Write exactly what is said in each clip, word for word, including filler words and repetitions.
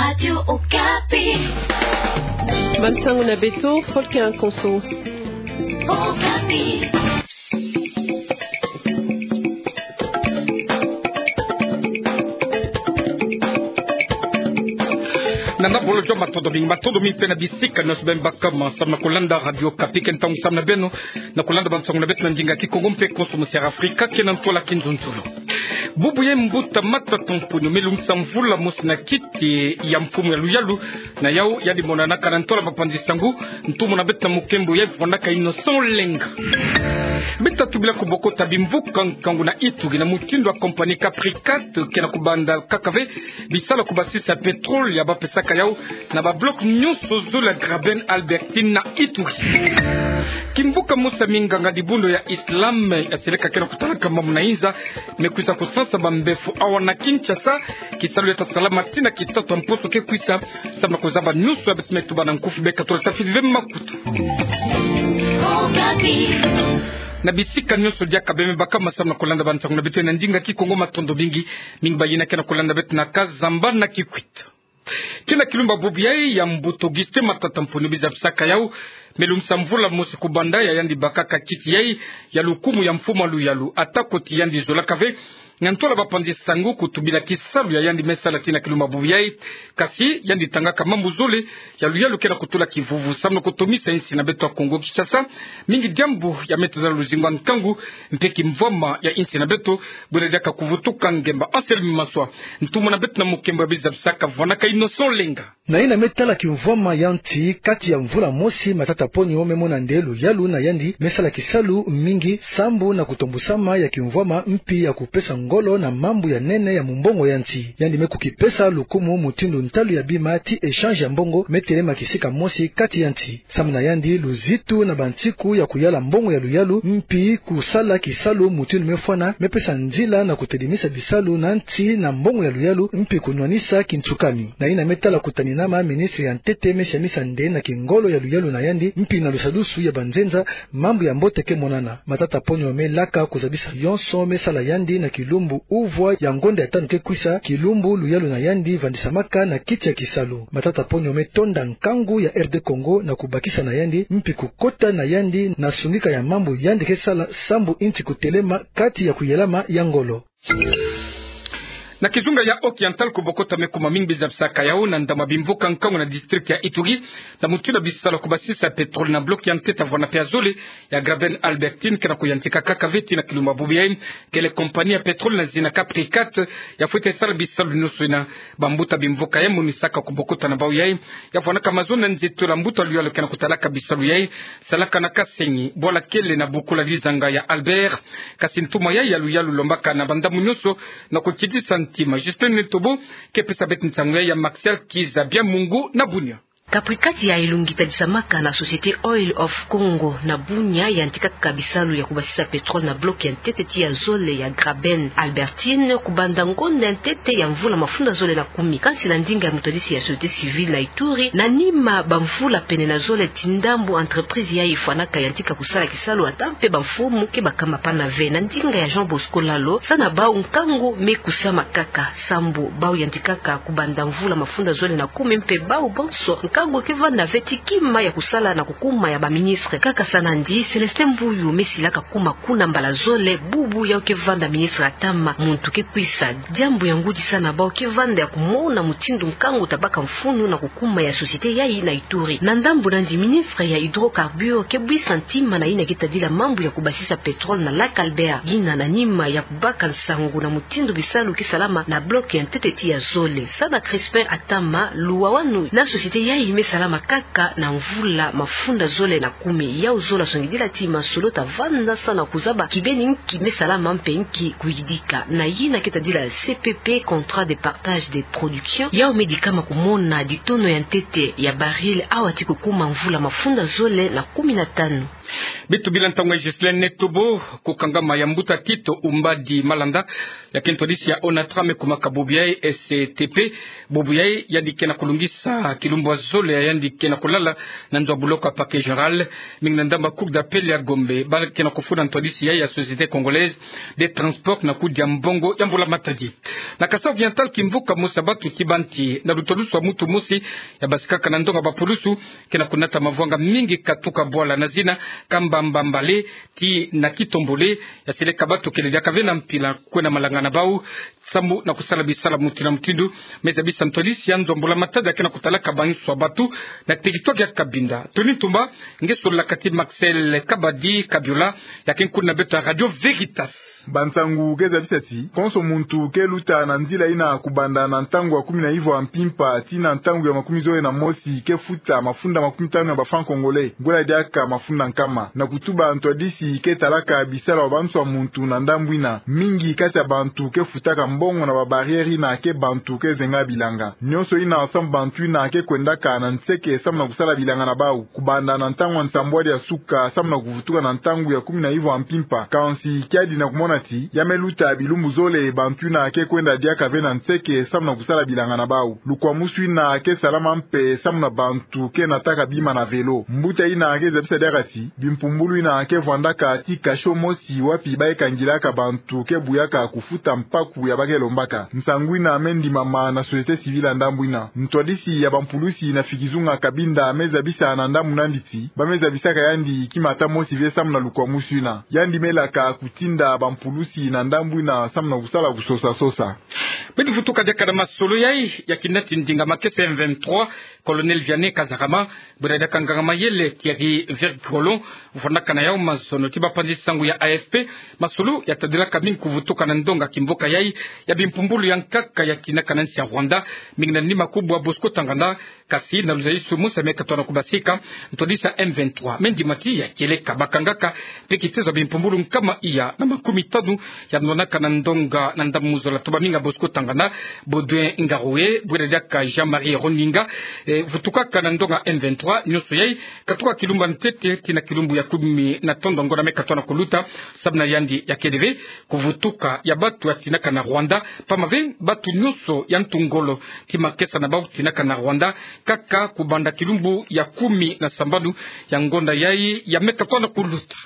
Radio Okapi. Bansango na beto, Volker Konso. Okapi. Nana bolo jo matondo mingi, matondo mingi mpe na bisika nyonso beno baka ma samu na kolanda Radio Okapi. Ke ntangu samu na beno na kolanda bansango na beto na ndinga Kikongo mpe Konso mu Sierra Afrika, ke na ntwala Kinzonzolo. Bubu ya mbuta Matata Mponyo me lungisa mvula mosi na kiti ya mfumu ya luyalu, na yau yandi monanaka na ntwala bapanzi sangu. Ntumwa na beto na mukembo ya vwandaka Innocent Lenga. Beto tubila kubokota bimvuka nkangu na Ituri na mutindu ya compagnie Capricat ke na kubanda kaka ve bisalu ya kubasisa pétrole ya bapesaka yau na ba bloc nyonso zole ya Graben Albertine na Ituri. Kimvuka mosi ya minganga dibundu ya Islam ya seleka ke na kutalaka mambu na inza me kwisa kusansa bambefu awa na Kinshasa. Kisalu ya ta salama tii na kitatu ya mposo ke kwisa, samu na kuzaba nyonso ya beto me tuba na nkufi. Beka tula tafiti ve makutu. Na bisika nyonso diaka beno me baka ma samu na kolanda bansango na beto na ndinga Kikongo, matondo mingi. Mingi bayina ke na kolanda beto na Kazamba na Kikwit. Ke na kilumbu bubu yai ya mbuta Augustin Matata Mponyo, biza bisaka yau, me lungisa mvula mosi kubanda ya yandi bakaka kiti yai ya lukumu ya mfumu ya luyalu, ata koti yandi zolaka ve na ntwala bapanzi sangu kutubila kisalu ya yandi me sala tii na kilumbu bubu yai. Kasi yandi tangaka mambu zole ya luyalu ke na kutula kivuvu samu na kutomisa insi na beto ya Kongo Kinshasa. Mingi diambu ya me teza luzingu ya nkangu mpe kimvwama ya insi na beto. Bwena diaka kuvutuka ngemba. Anselme Maswa, ntumwa na beto na mukembo ya biza bisaka, vwandaka Innocent Lenga. Na yina me tala kimvwama ya nsi, kati ya mvula mosi Matata Mponyo me mona nde luyalu na yandi me sala kisalu mingi sambu na kutombusama ya kimvwama mpi ya kupesa ngolo na mambu ya nene ya mumbongo ya nsi. Yandi me kukipesa lukumu mutindu ntalu ya bima tii échange ya mbongo me telema kisika mosi kati ya nsi. Samu na yandi, luzitu na bansiku ya kuyala mbongo ya luyalu mpi kusala kisalu mutindu me fwana me pesa nzila na kutedimisa bisalu na nsi na mbongo ya luyalu mpi kunwanisa kinsukami. Na yina me tala kutaninama, ministre ya ntete me siamisa nde na kingolo ya luyalu na yandi mpi na lusadusu ya banzenza, mambu ya mbote ke monana. Matata Mponyo me laka kuzabisa yonso me sala yandi na kilumbu uvwa ya ngonda ya tanu ke kwisa, kilumbu luyalu na yandi vandisamaka na kiti ya kisalu. Matata Mponyo me tonda nkangu ya R D Congo na kubakisa na yandi mpi kukota na yandi na sungika ya mambu yandi ke sala sambu insi kutelema kati ya kuyelama ya ngolo. Na kizunga ya Oriental, kubokota me kuma mingi biza bisaka yau na ndama bimvuka nkangu na district ya Ituri, na mutindu ya bisalu ya kubasisa pétrole na bloc ya ntete ya vwanda mpe ya zole ya Graben Albertine ke na kuyantika kaka ve tii na kilumbu bubu yai. Kele compagnie ya pétrole na zina Capricat ya fwete sala bisalu nyonso yina. Bambuta bimvuka ya monisaka kubokota na bau yai ya vwandaka mazono na nzeto la mbuta luyalu ke na kutalaka bisalu yai. Salaka na Kasenyi, bwala kele na bukula dizanga ya Albert. Kasi ntumwa yai ya luyalu lombaka na bandambu nyonso na kukitisa ntima. Justin Netobo ke pesa beto nsangu yai ya Martial Kiza Biamungu na Bunia. Capricat ya ilungi tadisamaka na Société Oil of Congo na Bunia yantikaka bisalu ya kubasisa pétrole na bloc ya ntete tii ya zole ya Graben Albertine kubanda ngonda ya ntete ya mvula mafunda zole na kumi. Kansi na ndinga ya mutadisi ya société civile na Ituri, na nima bamvula pene na zole tii ndambu entreprise yai ifwanaka yantika kusala kisalu, ata mpe bamfumu ke bakama pana ve. Na ndinga ya Jean Bosco Lalo, sa na bau nkangu me kusama kaka sambu bau yantikaka kubanda mvula mafunda zole na kumi mpe bau banso nkangu ke vanda ve tii kima ya kusala na kukuma ya baministre. Kaka sa nandi, Célestin Mbuyu me silaka kuma kuna mbala zole bubu yau ke vanda ministre ya ntama muntu ke kwisa. Diambu ya ngudisa na bau ke vanda ya kumona mutindu nkangu tabaka mfunu na kukuma ya société yai na Ituri. Na ndambu nandi, ministre ya hydrocarbures ke bwisa ntima na yina ke tadila mambu ya kubasisa pétrole na lac Albert. Yina na nima ya kubaka nsangu na mutindu bisalu ke salama na bloc ya ntete tii ya zole. Sa na Crispin Atama, luwawanu na société yai me salama kaka na mvula mafunda zole na kumi. Yau zola songidila tii masolo tavanda sa na kuzaba kibeni nki me salama mpe nki kuyidika. Na yina ke tadila C P P, contrat de partage de production, yau me dikama kumona ditono ya ntete ya baril awa tii kukuma mvula mafunda zole na kumi na tanu. Beto bila ntangu ya Ghislain Netobo. Kukangama ya mbuta Tito Umbadi Malanda, ya ke ntwadisi ya ONATRA, me kumaka bubu yai S T P. Bubu yai yandi ke na kulungisa kilumbu ya zo- ya yandi ke na kulala na nzo ya buloko ya Parquet Général, mingi na ndambu ya Cour d'appel ya Gombe, ba ke na kufuna ntwadisi ya, ya Société Congolaise des Transports na kudia mbongo ya mbula-matadi. Na Kasaï Oriental, kimvuka mosi ya batu ti banti na luta lusu ya mutu mosi ya basikaka na ndonga ya bapulusu ke na kunata mavwanga mingi katuka bwala na zina Kamba Mbambale ti na Kitombole, ya seleka batu kele diaka ve na mpila kwenda malanga na bau samu na kusala bisala mutindu na mutindu. Me zabisa ntwadisi ya nzo ya mbula-matadi ya ke na kutalaka banso ya batu na territoire ya Cabinda. Tony Ntumba nge sololaka ti Maxel Kabadi Kabiola, ya ke nkuna beto ya Radio Veritas. Bansangu ke zabisa ti konso muntu ke luta na nzila ina kubanda na ntangu ya kumi na ivwa ya mpimpa ti na ntangu ya makumi zole na mosi ke futa mafunda makumi tanu ya ba francs congolais, bwela diaka mafunda nkama. Na kutuba ntwadisi ke talaka bisala ya banso ya muntu na ndambu ina, mingi kati ya bantu ke futaka mbongo na ba barrières ina ke bantu ke zenga bilanga. Nyonso ina samu bantu ina ke kwendaka na nseke samu na kusala bilanga na bau, kubanda na ntangu ya nsambwadi ya suka samu na kuvutuka na ntangu ya kumi na ivwa ya mpimpa. Kansi kiadi na kumona ti ya me luta bilumbu zole, bantu ina ke kwenda diaka ve na nseke samu na kusala bilanga na bau. Lukwamusu ina ke salama mpe samu na bantu ke nataka bima na vélo. Mbuta ina ke zabisa diaka ti bimpumbulu ina ke vwandaka ti cachot mosi wapi ba ke kangilaka bantu ke buyaka kufuta mpaku ya ba ke lombaka. Nsangu ina me ndimama na société civile ya ndambu ina. Ntwadisi ya bampulusi na fikizunga Cabinda me zabisa na ndambu nandi ti ba me zabisaka yandi kimata mosi ve samu na lukwamusu ina. Yandi me laka kutinda bampulusi na ndambu ina samu na kusala kusosa-sosa. Beto vutuka diaka na masolo yai ya kina ti ndinga makesa M vingt-trois, Colonel Vianney Kazarama, bwela diaka nganga-mayele Thierry Vergolon, vwandaka na yau mazono ti bapanzi sangu ya A F P. Masolo ya tadilaka mingi kuvutuka na ndonga kimvuka yai ya bimpumbulu ya nkaka ya kinaka na nsi ya Rwanda, mingi na nima kubwa Bosco Ntaganda, kasi na luzaisu mosi ya me katona kubasika, ntwadisi ya M vingt-trois me ndima ti ya kieleka bakangaka mpe kitezo ya bimpumbulu nkama iya na makumi tanu ya nwanaka na ndonga na ndambu muzola toba mingi ya Bosco Ntaganda, Baudouin Ngaruye, bwela diaka Jean-Marie Roninga, e, vutukaka na ndonga M vingt-trois, nyonso yai katuka kilumbu ya ntete tii na kilumbu ya kumi na tondo ya ngonda me katona kuluta, samu na yandi ya kele ve kuvutuka ya batu ya tinaka na Rwanda, pamba ve batu nyonso ya ntu ngolo ti makesa na bau tinaka na Rwanda, kaka kubanda kilumbu ya kumi na sambanu ya ngonda yai ya me katona kuluta.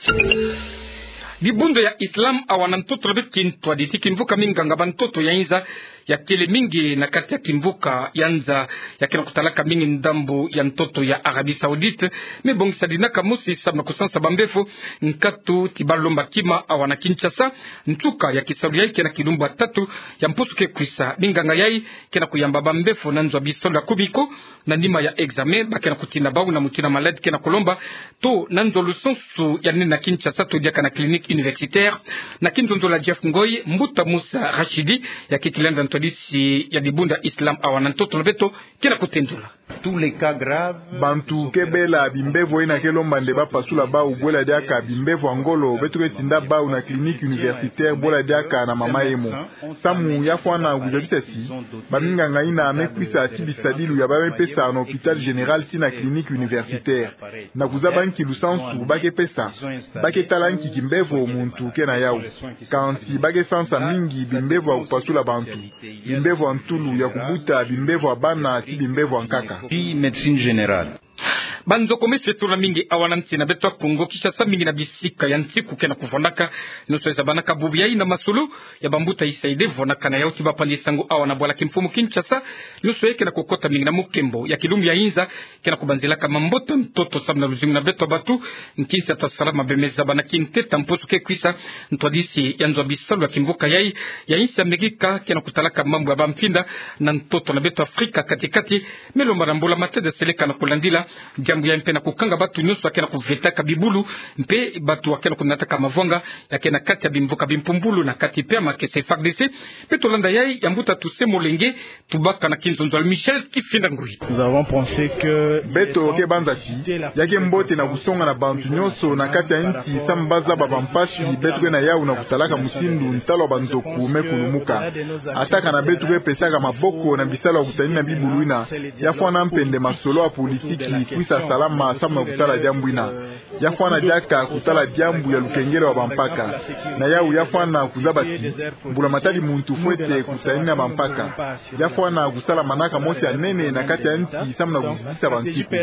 Dibundu ya Islam awa na ntoto na beto kintwadi ti kimvuka minganga ba ntoto ya inza ya kele mingi na kati ya kimvuka ya nza ya ke na kutalaka mingi ndambu ya ntoto ya Arabie Saoudite, me bongisa dinaka mosi samu na kusansa bambevo nkatu ti balomba kima awa na Kinshasa. Nsuka ya kisalu yai ke na kilumbu ya tatu ya mpusu ke kwisa. Minganga yai ke na kuyamba bambevo na nzo ya bisalu ya kumi ko na nima ya examen ba ke na kutina bau na mutindu ya maladi ke na kulomba, to na nzo lusansu ya nene na Kinshasa to diaka na clinique universitaire. Na kinzonzolo ya Jeff Ngoy, mbuta Musa Rachidi ya ke kilenda ntwadisi ya dibundu ya Islam awa na ntoto na beto ke na kutendula. Bantu ke bela bimbevo ina ke lomba nde ba pasula bau, bwela diaka bimbevo ya ngolo beto ke tinda bau na clinique universitaire, bwela diaka na mama Emo. Samu ya fwana kuzabisa ti baminganga ina me kwisa ti bisadilu ya ba me pesa na hôpital général tii na clinique universitaire. Na kuzaba nki lusansu ba ke pesa, ba ke tala nki kimbevo muntu ke na yau. Kansi ba ke sansa mingi bimbevo ya kupasula bantu, bimbevo ya ntulu, ya kubuta, bimbevo ya bana, tii bimbevo ya nkaka. Puis médecine générale. Banzokomesi etula mingi awa na nsi na beto ya Kongo Kinshasa, mingi na bisika ya nsiku ke na kuvwandaka. Nyonso ezabanaka bubu yai na masolo ya bambuta Isaïde vwandaka na yau ti bapanzi sangu awa na bwala kimfumu Kinshasa. Nyonso yai ke na kukota mingi na mukembo ya kilumbu ya inza ke na kubanzilaka mabota ntoto samu na luzingu na beto ya batu. Nkinsi ya ta salama bemeza bana kinteta mpusu ke kwisa, ntwadisi ya nzo ya bisalu ya kimvuka yai ya insi ya Amerika ke na kutalaka mambu ya bamfinda na ntoto na beto Afrika kati-kati, me lomba na mbula-matadi ya seleka na kulandila diambu yai mpe na kukanga batu nyonso ya ke na kuvetaka bibulu mpe batu ya ke na kunataka mavwanga ya ke na kati ya bimvuka bimpumbulu na kati mpe ya makesa. F A R D C mpe tolanda yai ya mbuta Toussaint Molenge, tubaka na kinzonzolo ya Michel Kifinda Ngui. Beto ke banza ti ya ke mbote na kusonga na bantu nyonso na kati ya nsi samu ba zaba bampasi beto ke na yau na kutalaka mutindu ntalu ya banzoku me kulumuka. Ata kana beto ke pesaka maboko na bisalu ya kutanina bibulu ina, ya fwana mpe nde masolo ya politiki kwisa salama samu na kutala diambu ina. Ya fwana diaka kutala diambu ya lukengele wa bampaka. Na yawu ya fwana kuzaba ti mbula matadi muntu fwete kutanina bampaka. Ya fwana kusala manaka mosi ya nene na kati ya nsi samu na kuzitisa bansiku.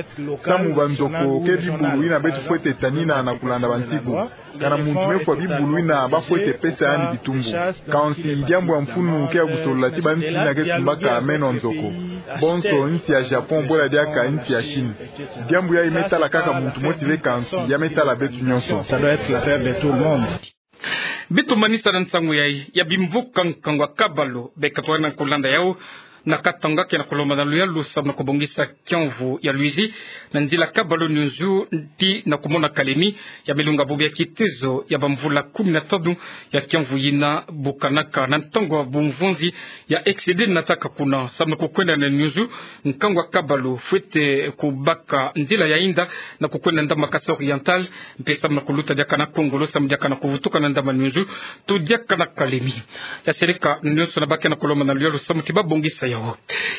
Samu banzoko ke bibulu ina beto fwete tanina na kulanda bansiku. Kana muntu me fwa bibulu ina ba fwete pesa yandi bitumbu. Kansi diambu ya mfunu ke ya kusolola ti bansi ina ke kumbaka meno nzoko. Bonso nsi ya Japon bwela diaka nsi ya Chine. Diambu yayi me tala kaka muntu mosi ve kansi ya me tala beto nyonso. Ça doit être l'affaire de tout le monde. Beto manisa na nsangu yayi ya bimvuka nkangu wa kabalu, beka twana kulanda yawu na katanga ke na kulomba na luyalu samu na kubongisa kiamvu ya Luizi na nzila kabalu Nyunzu ti na kumona kalemi ya milunga bubu ya kitezo ya bamvula kumi na tanu ya kiamvu yina. Bukanaka na ntangu wa bumvunzi ya excédé nataka kuna samu na kukwenda na Nyunzu, nkangu wa kabalu fwete kubaka nzila ya inda na kukwenda ndambu Kasaï Oriental, mpe samu na kuluta diaka na Kongo, lo samu diaka na kuvutuka na ndambu Nyunzu to diaka na kalemi. Ya seleka nyonso na ba ke na kulomba na luyalu samu ti babongisa yawu.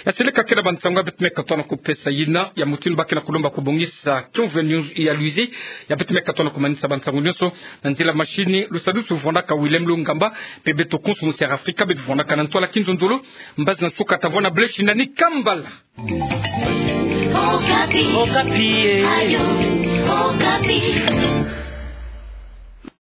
Ya seleka ke na bansangu ya beto me katoa na kupesa yina, ya mutindu ba ke na kulomba kubongisa kiamvu ya Luizi, ya beto me katoa na kumanisa bansangu nyonso na nzila machine. Lusadusu vwandaka Willem Lungamba, mpe beto konso mu Sierra Africa beto vwandaka na ntwala kinzonzolo. Mbazi na nsuka tavwanda, beleshi nani kambala. Okapi. Okapi, eh. Ayo, Okapi.